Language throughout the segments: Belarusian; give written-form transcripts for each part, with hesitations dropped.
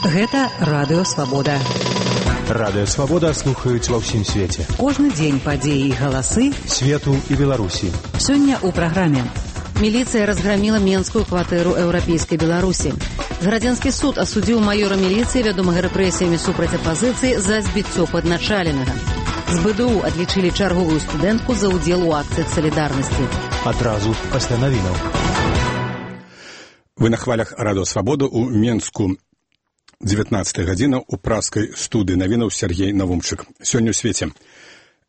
Гэта Радыё Свабода. Радыё Свабода слухаюць ва ўсім свеце. Кожны дзень падзеі і галасы свету і Беларусі. Сёння ў праграме. Міліцыя разграміла менскую кватэру еўрапейскай Беларусі. Градзянскі суд асудзіў маёра міліцыі, вядомага рэпрэсіямі супраць апазіцыі, за збіццё падначаленага. З БДУ адлічылі чарговую студэнтку за ўдзел у акцыях салідарнасці. Адразу пасля навінаў. Вы на хвалях Радыё Свабода ў Менску. 19 гадзіна ў праскай студыі навінаў Сергей Навумчык. Сёння ў свеце.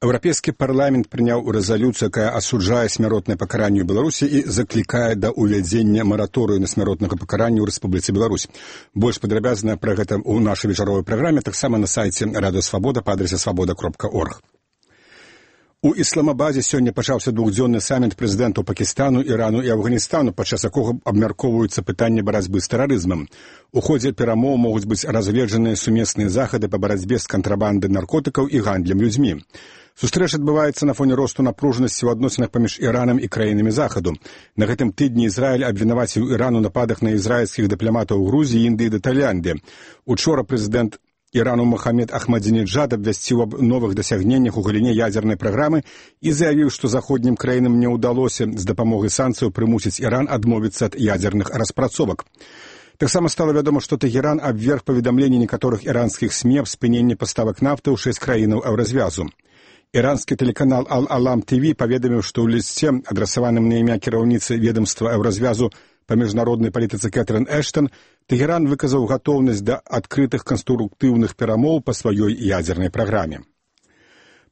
Еўрапейскі парламент прыняў рэзалюцыю, якая асуджае смяротнае пакаранне ў Беларусі і заклікае да ўвядзення мараторыю на смяротнага пакарання ў Рэспубліцы Беларусь. Больш падрабязна пра гэта ў нашай вечаровай праграме, таксама на сайце Радыё Свабода па адрасе свабода.орг. У Ісламабадзе сёння пачаўся двухдзённы саміт прэзідэнтаў Пакістану, Ірану і Афганістану, падчас якога абмяркоўваюцца пытанні барацьбы з тэрарызмам. У ходзе перамоў могуць быць разгледжаныя сумесныя захады па барацьбе з кантрабандай наркотыкаў і гандлем людзьмі. Сустрэча адбываецца на фоне росту напружанасці ў адносінах паміж Іранам і краінамі захаду. На гэтым тыдні Ізраіль абвінаваціў Іран у нападах на ізраільскіх дыпламатаў у Грузіі, Індыі ды Тайландзе. Учора прэзідэнт Ірану Мохамед Ахмадзінеджад абвясціў аб новых дасягненнях у галіне ядзернай праграмы і заявіў, што заходнім краінам не ўдалося з дапамогай санкцыяў прымусіць Іран адмовіцца ад ядзерных распрацовак. Таксама стала вядома, што Тэхеран абверг паведамленні некаторых іранскіх СМІ аб спыненні паставак нафты ў 6 краінаў еўразвязу. Іранскі тэлеканал Ал-Алам ТВ паведаміў, што ў лісце, адрасаваным на імя кіраўніцы ведамства еўразвязу па міжнароднай палітыцы Кэтрын Эштон, Тэхеран выказаў гатоўнасць да адкрытых канструктыўных перамоў па сваёй ядзернай праграме.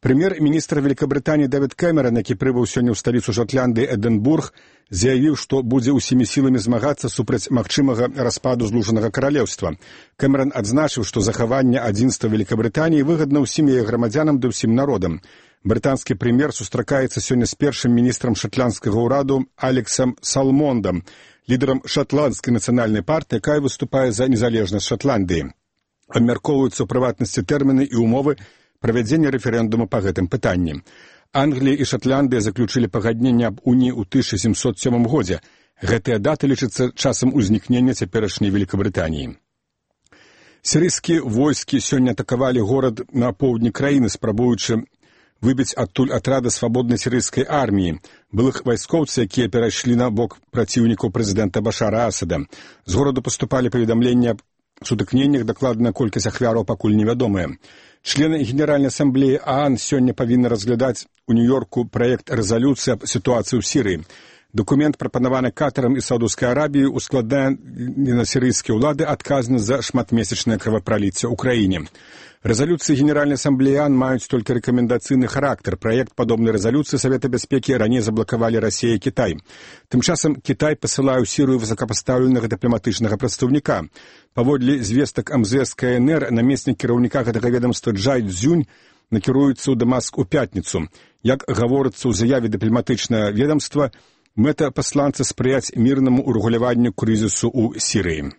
Прэм'ер-міністр Великабрытаніі Дэвід Кэмерон, які прыбыў сёння ў сталіцу Шотландыі Эдынбург, заявіў, што будзе ўсімі сіламі змагацца супраць магчымага распаду злучанага каралеўства. Кэмерон адзначыў, што захаванне адзінства Великабрытаніі выгадна ўсім яе грамадзянам ды ўсім народам. Брытанскі прэм'ер сустракаецца сёння з першым міністрам шатландскага ўраду Алексам Салмондам, лідарам шатландскай нацыянальнай партыі, якая выступае за незалежнасць Шатландыі. Абмяркоўваюцца ў прыватнасці тэрміны і ўмовы правядзення рэферэндума па гэтым пытанні. Англія і Шатландыя заключылі пагадненне аб уніі ў 1707 годзе. Гэтыя даты лічацца часам узнікнення цяперашняй Великабрытаніі. Сірыйскія войскі сёння атакавалі горад на поўдні краіны, спрабуючы выбіць адтуль атрады свабоднай сірыйскай арміі, былых вайскоўцаў, якія перайшлі на бок праціўнікаў прэзідэнта Башара Асада. З гораду паступалі паведамленні аб сутыкненнях, дакладная колькасць ахвяраў пакуль невядомая. Члены Генеральнай асамблеі ААН сёння павінны разглядаць у Нью-Йорку праект рэзалюцыі аб сітуацыі ў Сірыі. Дакумент, прапанаваны Катарам і Саудаўскай Арабіяй, ускладае на сірыйскія ўлады адказнасць за шматмесячнае крывапраліцце ў краіне. Рэзалюцыі Генеральнай асамблеі ААН маюць толькі рэкамендацыйны характар. Праект падобнай рэзалюцыі Савета бяспекі раней заблакавалі Расія і Кітай. Тым часам Кітай пасылае ў Сірыю высокапастаўленага дыпламатычнага прадстаўніка. Паводле звестак МЗС КНР, намеснік кіраўніка гэтага ведамства Джай Цзюнь накіруецца ў Дамаск у пятніцу. Як гаворыцца ў заяве дыпламатычнага ведамства, мэта пасланца спрыяць мірнаму урэгуляванню крызісу ў Сірыі.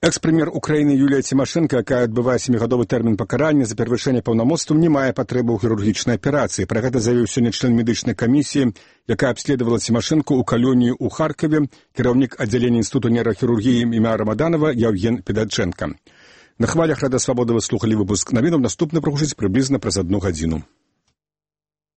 Экс-прэм'ер Украіны Юлія Цімашэнка, якая адбывае 7-гадовы тэрмін пакарання за перавышэнне паўнамоцтваў, не мае патрэбы ў хірургічнай аперацыі. Пра гэта заявіў сёння член медычнай камісіі, якая абследавала Цімашэнку ў калоніі ў Харкаве, кіраўнік аддзялення інстытуту нейрахірургіі імя Рамаданова Яўген Педачэнка. На хвалях Радыё Свабода вы слухалі выпуск навінаў, наступны прагучыць прыблізна праз 1 гадзіну.